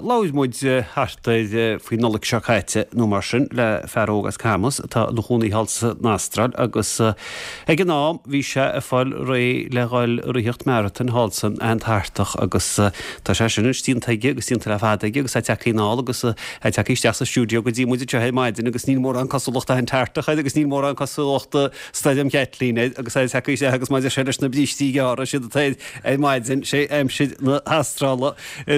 Labhair muid thart ar faoin Nollaig seo caite nó mar sin le fear óg as Camus atá ina chónaí thall san Astráil agus ag an am bhí sé ag fáil réidh le dhul ag ritheacht marathon thall san Antartach agus tá sé sin anois déanta aige agus déanta le fada aige agus é tagtha anall agus é tagtha isteach sa stiúideo go dtí muid anseo ar maidin agus níl mórán cosúlachta Antartach air agus níl mórán cosúlachta Stoirm Chaitlín air agus é tagtha isteach agus mar a deir sé leis na brístí gearra siad atá air ar maidin, sé aimsir na hAstrála,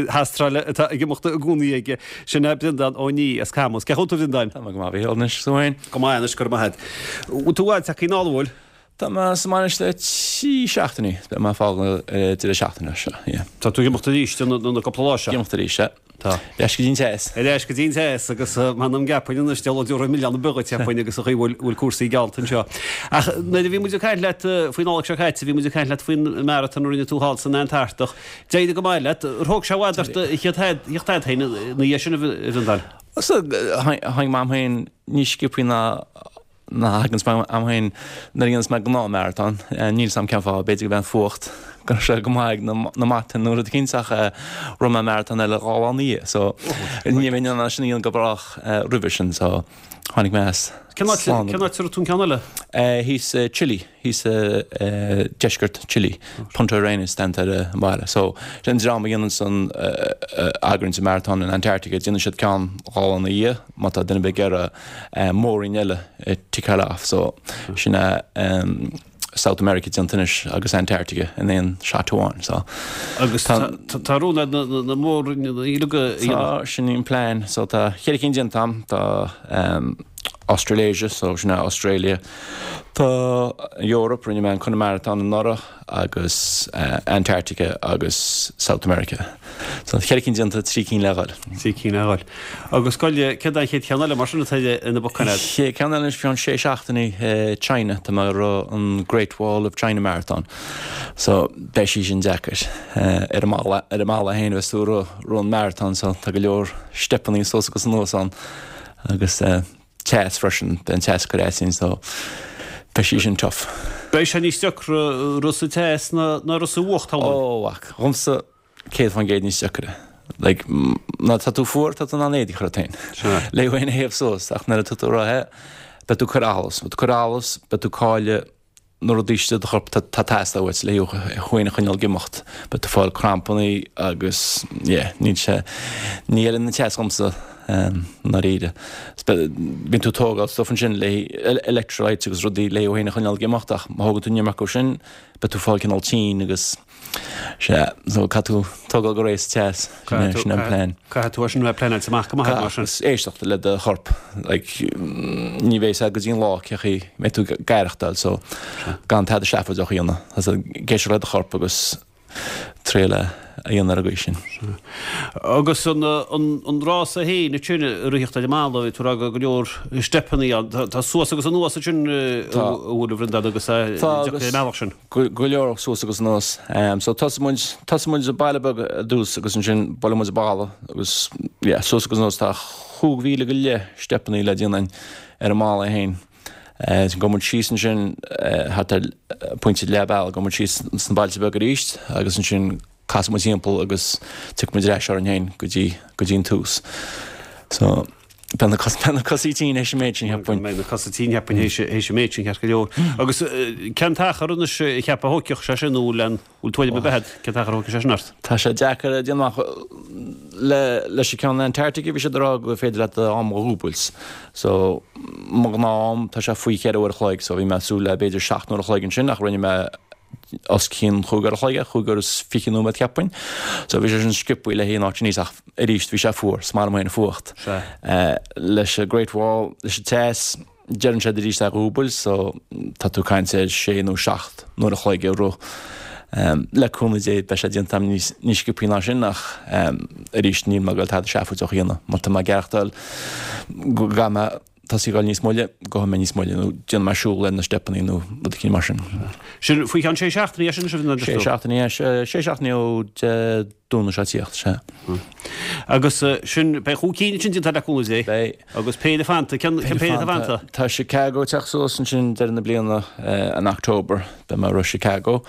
hAstráile atá ag imeacht i gcónaí aige. Sin é Breandán Ó Nia as Camus. Cén chaoi a bhfuil tú a Bhreandáin? Tá mé go maith, a Mhíchíl, anois is tú féin? Go maith anois, go raibh maith agat. Bhfuil tú i bhfad tagtha anall, an bhfuil? Tá mé sa mbaile anois le 3 seachtainí. Beidh mé ag fágáil ar an deireadh seachtaine seo, yeah. Tá tú ag imeacht arís na cúpla lá seo? Ag imeacht arís, yeah. Tá. Ar ais go dtí an teas. Ar ais go dtí an teas agus m'anam gceapfainn anois deabhal deoraí milleán ar bith dhuit cheapfainn agus an chaoi bhfuil bhfuil cúrsaí geallta anseo. Ach nuair a bhí muid ag caint leat faoin Nollaig seo caite, bhí muid ag caint leat faoin marathon a rinne tú thall san Antartach. D'éirigh go maith leat. Ar thóg sé i bhfad ort a theacht agat féin ina dhiaidh sin a Bhreandáin? So, tháinig mé a'm féin níos sciobthaí ná ná a thaganns mé a'm féin nuair a dhéanas mé gnáth marathon. Níl 's a'm cén fáth, b'fhéidir go b'é an fuacht, go raibh sé go maith ag na matáin nó rud eicínt ach rith mé marathon eile 2 lá ina dhiaidh so ní bheinn in ann é sin a dhéanamh go brách roimhe sin so tháinig mé as Cén áit slán. Cén áit a raibh tú an ceann eile? Thíos i Chile. thíos i deisceart Chile, Punta Arenas déanta ar an mbaile. So, sin an dream a dhéananns an eagraíonns an marathon in Antarctica, déanann siad ceann 2 lá ina dhiaidh má tá duine ar bith ag iarraidh mór-roinn eile a tickeáil off. So, sin é South America déanta anois agus Antarctica in aon shot amháin. So, Agus tá rún agat na mór-roinneanna uilig a dhéanamh? Tá, sin an plean. So, tá cheithre cinn déanta a'm. Tá. Australasia, so sin é Australia. Tá Europe, rinne mé an Connemarathon anuraidh agus Antarctica agus South America. So cheithre cinn déanta, 3 cinn le dhul. 3 cinn le dhul. Agus goile, céard é an chéad cheann eile mar sin atá ar na bacáin agat? Chéad ceann eile anois faoi cheann sé seachtainí, China, tá mé ag rith an Great Wall of China Marathon. So beidh sí sin deacair. Ar an mballa, ar an mballa féin a bheas tú ag rith an marathon so tá go leor steipeannaí suas agus anuas ann. Agus teas freisin, beidh an teas ag cur as dúinn so beidh sí sin tough. Beidh sé níos deacra rith sa teas ná rith sa bhfuacht, shamhlóinn. Ó, mhac, dhomsa 100% níos deacra. Like, nuair atá tú fuar, tá tú in ann éadaí a chur ort féin. Le thú féin a théamh suas, ach nuair atá tú ag rith, beidh tú ag cur allas. Beidh tú ag cur allas, beidh tú ag cailleadh na rudaí istigh i do chorp atá ag teastáil uait le thú féin a choinneáil ag imeacht. Beidh tú ag fáil crampannaí agus yeah, níl sé, ní fheileann an teas dhomsa i ndáiríre. Bíonn tú ag tógáil stuff ansin le electrolytes agus rudaí le thú féin a choinneáil ag imeacht ach má thógann tú an iomarca sin beidh tú ag fáil cineál tinn agus Sea, so caithfidh tú tógáil go réidh sa teas, sin é, sin é an plean. Caithfidh tú é sin a bheith pleanáilte amach go maith mar sin. Caithfidh, éisteacht le do chorp, like, ní bheidh a fhios agat go dtí an lá cé chaoi mbeidh tú ag aireachtáil, so gan tada seafóideach a dhéanamh, ag éisteacht le do chorp agus triail é a dhéanamh ar an gcaoi sin. Agus an, an, an rása féin ansin ag ritheacht ar an mballa, bhí tú ag rá go leor steipeannaí ann, tá suas agus anuas ansin a bhfuil a Bhreandáin agus é deacair ar an mbealach sin. Go leor suas agus anuas. So tosaigh muid, tosaigh muid i baile beag ar dtús agus ansin buaileann muid balla agus yeah, suas agus anuas tá 5,000 go leith steipeannaí le déanamh ar an mballa é féin. Gabhann muid síos ansin thart ar pointe leath bealaigh, gabhann muid síos sna bailte beaga arís agus ansin casann muid timpeall agus tiocfaidh muid ar ais orainn féin go dtí, go dtí an tús. So. Beidh na cosa, beidh na cosa tinn théis an méid sin, cheapfainn. Beidh na cosa tinn, cheapfainn, théis, théis an méid sin, ceart go leor. Agus cén t-achar anois a cheapfá a thógfadh sé sin nó an bhfuil tuairim ar bith agat cén t-achar a thógfadh sé sin ort? Tá sé deacair a dhéanamh amach. Le, leis an ceann Antarctica bhí siad ag rá gur féidir leat am a dhúbailt. So, mo ghnáth-am, tá sé faoi cheithre uair a chloig, so bhí mé ag súil le b'fhéidir seacht n-uair a chloig ansin ach rinne mé os cionn chúig uair a chloig, chúig uair is fiche nóiméad cheapfainn. So bhí sé sin sciobthaí le haon áit níos ach arís bhí sé fuar, is maith liom féin an fuacht. Leis an Great Wall, leis an teas, deireann siad arís é a dhúbailt so tá tú ag caint ar sé nó seacht n-uair a chloig ag rith. Le cúnamh Dé beidh sé déanta agam níos níos sciobthaí ná sin ach arís níl mé ag goil tada seafóideach a dhéanamh. Má tá mé ag aireachtáil go gcaithfidh mé tosaí ag dul níos moille, gabhfaidh mé níos moille nó déanfaidh mé siúl ar na steipeannaí nó rud eicínt mar sin. Sin faoi cheann sé seachtainí é sin, sin Sé seachtainí é, sé seachtainí ó Dé Domhnaigh seo ag tíocht, sea. Agus sin, beidh chúig cinn ansin déanta le cúnamh Dé. Beidh. Agus péire fanta, cén péire atá fanta? Tá Chicago ag teacht suas ansin deireadh na bliana in October, beidh mé ag rith Chicago.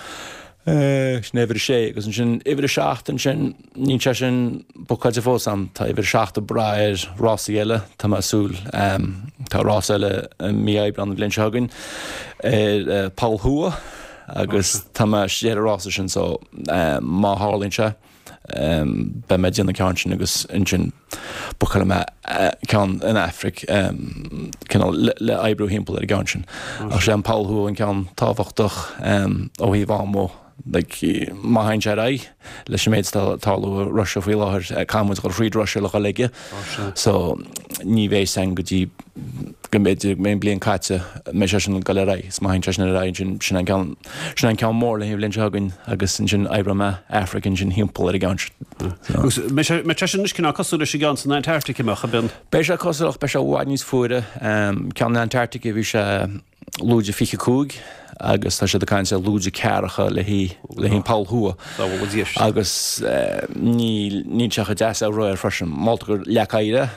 Sin uimhir a sé agus ansin uimhir a seacht ansin, níl sé sin bookáilte fós a'm, tá uimhir a seacht ag brath ar rásaí eile, tá mé ag súil, tá rás eile i mí Aibreán an bhliain seo chugainn ar Poll Thuaidh agus tá mé istigh ar an rása sin so má tharlaíonn sé, Beidh mé ag déanamh an ceann sin agus ansin bookálfaidh mé ceann in Aifric cineál le oibriú thimpeall ar an gceann sin. Ach sé an Poll Thuaidh an ceann tábhachtach ó thaobh ama like má théann sé ar aghaidh leis an méid atá ag tarlú i Russia faoi láthair, caithfidh muid dul thríd Russia le dhul aige so ní bheidh san go dtí go mb'fhéidir go mbeidh an bliain caite, mbeidh sé sin ag dul ar aghaidh, is má théann sé sin ar aghaidh ansin, sin an ceann, sin an ceann mór le haghaidh an bhliain seo chugainn agus ansin oibreoidh mé Aifric ansin thimpeall ar an gceann sin. Agus mbeidh sé, mbeidh sé sin anois cineál cosúil leis an gceann san Antarctic, an mbeadh, a bhionn? Beidh sé cosúil ach beidh sé i bhfad níos fuaire. Ceann na Antarctica bhí sé lúide 25 agus tá siad ag caint ar lúide ceathracha le haghaidh, le haghaidh an Poll Thuaidh. Agus níl, níl sé chomh deas le rith air freisin. Moltar gur leac oighir é.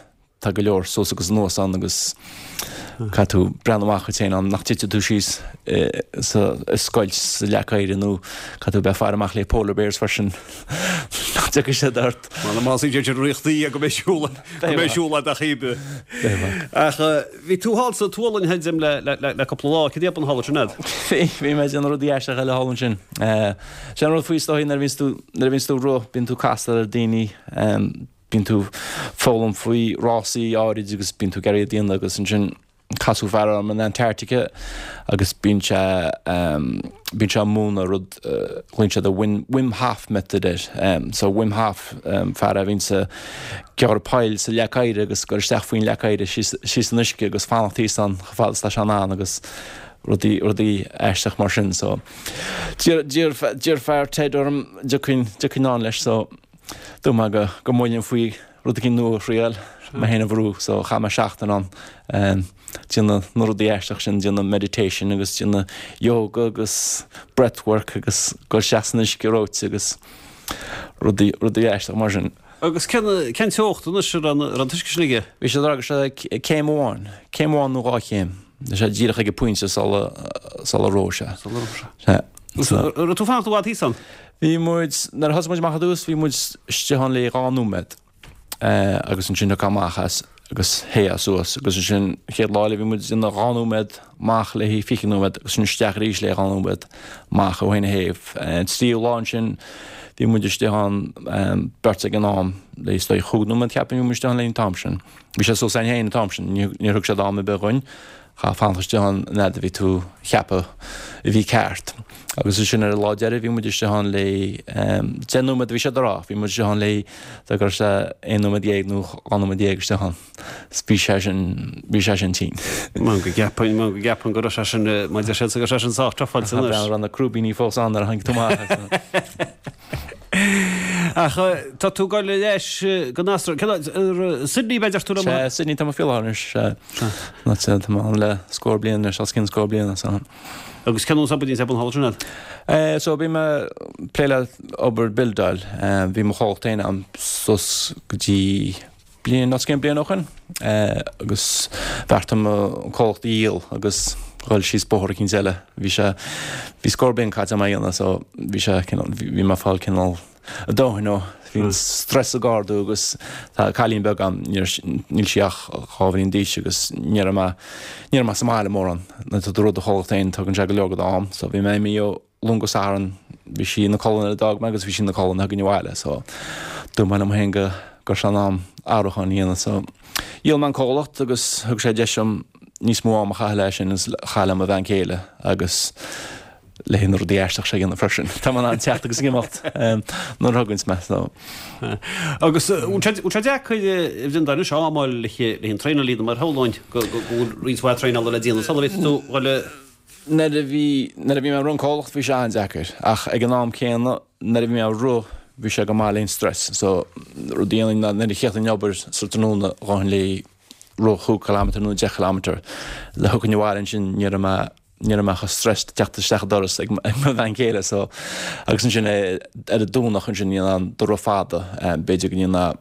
Tá go leor suas agus anuas ann agus caithfidh tú breathnú amach dhuit féin ann nach dtitfidh tú síos sa scoilt sa leac oighir nó caithfidh tú bheith ag faire amach le polar bears freisin nach dtiocfaidh siad ort. Mar más iad idir ríochtaí go mbeidh siúl go mbeidh siúl a'd ach oibre. Ach bhí tú thall sa tSualainn a Jim le le cúpla lá, cad é a bun thall ansin a'd? Bhí, bhí mé ag déanamh rudaí aisteacha eile thall ansin. Sin an rud faoi is dóigh nuair a bhíonns tú nuair a bhíonns tú ag rith bíonn tú ag castáil ar daoine Bíonn tú ag foghlaim faoi rásaí áirid agus bíonn tú ag iarraidh iad a dhéanamh agus ansin casadh fear orm in Antarctica agus bíonn sé bíonn sé ag múineadh rud glaonn siad an Wim Hof method air. So Wim Hof fear a bhíonns ag gearradh poill sa leac oighir agus ag dul isteach faoin leac oighir síos síos san uisce agus fanacht thíos ann chomh fada is atá sé in ann agus rudaí rudaí aisteach mar sin so d'iarr d'iarr d'iarr fear TED orm an dtiocfainn dtiocfainn ann leis so Dúirt mé go go mbuaileann faoi rud eicínt nua a thriail, mé féin a bhrú, so chaith mé seachtain ann déanamh na rudaí aisteach sin, déanamh meditation agus déanamh yoga agus breath work agus dul isteach san uisce reoite agus rudaí rudaí aisteach mar sin. Agus cén cén teocht anois a raibh an t-uisce sin aige? Bhí sé ag rá go raibh sé céim amháin, céim amháin nó dhá chéim. Bhí sé díreach ag an pointe sula sula reoigh sé. Sula reoigh sé. Sea. An raibh tú ag fanacht i bhfad thíos ann? Bhí muid, nuair a thosaigh muid amach ar dtús, bhí muid istigh ann le 2 nóiméad agus ansin thiocfá amach as agus théifeá suas agus ansin an chéad lá eile bhí muid ina 2 nóiméad amach le 20 nóiméad agus ansin isteach arís le 2 nóiméad amach ó thaobh na thaobh. An tríú lá ansin bhí muid istigh ann beirt ag an am le is dóigh chúig nóiméad ceapaim bhí muid istigh ann le an t-am sin. Bhí sé suas againn féin an t-am sin, níor thug siad am ar bith dhuinn. Chaithfeá fanacht istigh ann an fhad a bhí tú a cheapadh a bhí ceart. Agus ansin ar an lá deiridh bhí muid istigh ann le 10 nóiméad a bhí siad a rá, bhí muid istigh ann le go raibh sé aon nóiméad dhéag nó dhá nóiméad dhéag istigh ann. Bhí sé sin, bhí sé sin tinn. Mar go gceapainn, mar go gceapainn go raibh sé sin, mar deir siad go raibh sé sin sách trufáilte anois. Tá raibh na crúibíní fós ann nuair a tháinig tú amach as. Ach tá tú ag dul ar ais go Astráil. Cén áit? Sydney b'fhéidir tú liom? Sea, Sydney tá mé faoi láthair anois. Sea, tá mé ann le scór bliain anois, os cionn scór bliana. So. Agus cén nós obair a bhíonn thall ansin agat? So bhí mé ag plé le obair buildáil. Bhí mo chomhlacht féin agam suas go dtí bliain, os cionn bliain ó shin agus bheartaigh mé an comhlacht a dhíol agus dhul síos bóthar eicínt eile. Bhí sé, bhí scór bliain caite agam á dhéanamh so bhí sé cineál, bhí mé ag fáil cineál a dóthain ó, bhí an stress ag ardú agus tá cailín beag agam, níl sí ach 2 bhliain d'aois agus ní raibh mé, ní raibh mé sa mbaile mórán. Nuair atá tú ag rith do chomhlacht féin tugann sé go leor de d'am so bhí mé imithe ó Luan go Satharn, bhí sí ina codladh nuair a d'fhág mé agus bhí sí ina codladh nuair a thagainn abhaile so dúirt mé liom féin go raibh sé in am athrúchán a dhéanamh so dhíol mé an comhlacht agus thug sé deis dom níos mó am a chaitheamh leis sin agus a chaitheamh le mo bhean chéile agus le na rudaí aisteach seo a dhéanamh freisin. Tá mé in ann teacht agus ag imeacht nuair a thuganns mé so. Agus bhfuil sé bhfuil sé deacair a Bhreandáin anois am a fháil le le an traenáil a dhéanamh mar shamhlóinn go go bhfuil roinnt mhaith traenála le déanamh sula bhféadfaidh tú dhul a Nuair a bhí, nuair a bhí mé ag rith an comhlacht bhí sé an-deacair ach ag an am céanna nuair a bhí mé ag rith bhí sé go maith le an stress so rud a dhéanainn ná nuair a chríochnainn an obair sa tráthnóna ghabhfainn le rith chúig kilometre nó 10 kilometre le thiocfainn abhaile ansin ní raibh mé ní raibh mé chomh stressed teacht isteach an doras ag mo bhean chéile so agus ansin ar an Domhnach ansin dhéanfainn do rith fada b'fhéidir go ndéanfá.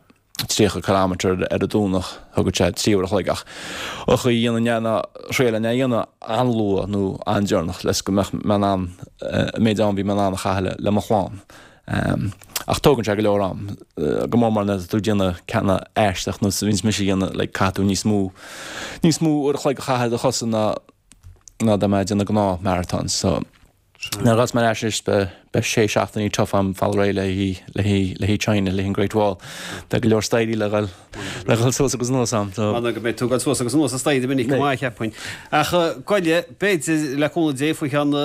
30 kilometre ar an Domhnach, thógfadh sé 3 uair a chloig ach an chaoi a dhéanfainn é ná thriail é a dhéanamh an-luath nó an-deireanach le go mbeadh mé in ann an méid am a bhí mé in ann a chaitheamh le mo chlann. Ach tógann sé go leor am, go mór mór nuair atá tú ag déanamh ceanna aisteach nós a bhíonns mise a dhéanamh, like caithfidh tú níos mó, níos mó uair a chloig a chaitheamh ar do chosa ná ná dá mbeifeá ag déanamh gnáth marathon. So nuair a ghabhfas mé ar ais anois beidh beidh sé seachtainí tough a'm fáil réidh le haghaidh le haghaidh le haghaidh China, le haghaidh an Great Wall. Beidh go leor staighrí le dhul le dhul suas agus anuas a'm. So. M'anam go mbeidh tú ag dul suas agus anuas an staighre minic go maith cheapfainn. Ach goile, b'fhéidir le cúnamh Dé faoi cheann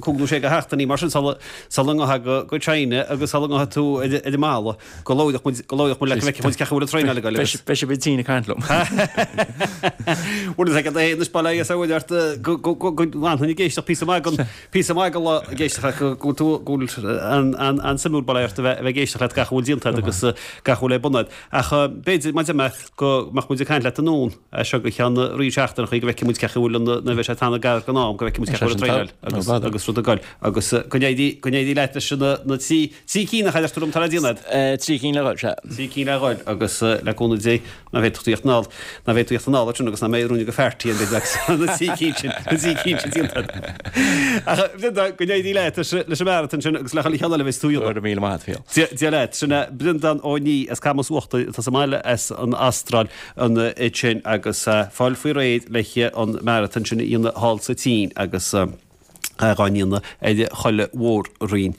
cúig nó sé de sheachtainí mar sin sula sula ngabhfaidh go China agus sula ngabhfaidh tú ar an mballa go labhróidh muid go labhróidh muid leat go bhfeicfidh muid cén chaoi a bhfuil an traenáil ag goil agus. Beidh sibh ag tine ag caint liom. Bhuel is ag an anois bail ó Dhia is ó Mhuire ort go go go go bhfanfainn ag éisteacht píosa maith den píosa maith den lá ag éisteacht leat go go bhfuil tú go bhfuil an an an suimiúil bail ó Dhia ort a bheith a bheith ag éisteacht leat gach a bhfuil déanta agat agus gach a bhfuil ar bun agat. Ach b'fhéidir mar a deir mé go mbeadh muid ag caint leat anonn as seo go ceann roinnt seachtaineachaí go bhfeicfidh muid cén chaoi a bhfuil an nuair a bheidh sé ag teannadh gar don am go bhfeicfidh muid cén chaoi a bhfuil an traenáil agus agus rud ag goil agus go n-éirí go n-éirí leat leis na na trí trí cinn a deir tú liom atá le déanamh agat. Trí cinn le dhul, sea. Trí cinn le dhul agus le cúnamh Dé ná bheidh tú ag tíocht anall ná bheidh tú ag tíocht anall ansin agus ná mbeidh ruainne go feartaí an bheirt agus na trí cinn sin na trí cinn sin déanta agat. Ach Bhreandán go n-éirí leat leis leis an marathon sin agus le chuile cheann eile a bheas tú a dhéanamh. Go raibh míle maith agat, Phil. Dia Dia leat. Sin é Breandán Ó Nia as Camas Uachtair atá sa mbaile as an Astráil ansin agus fáil faoi réir le an marathon sin a dhéanamh thall sa tSín agus dhá ndéanamh ar chuile mhór-roinn.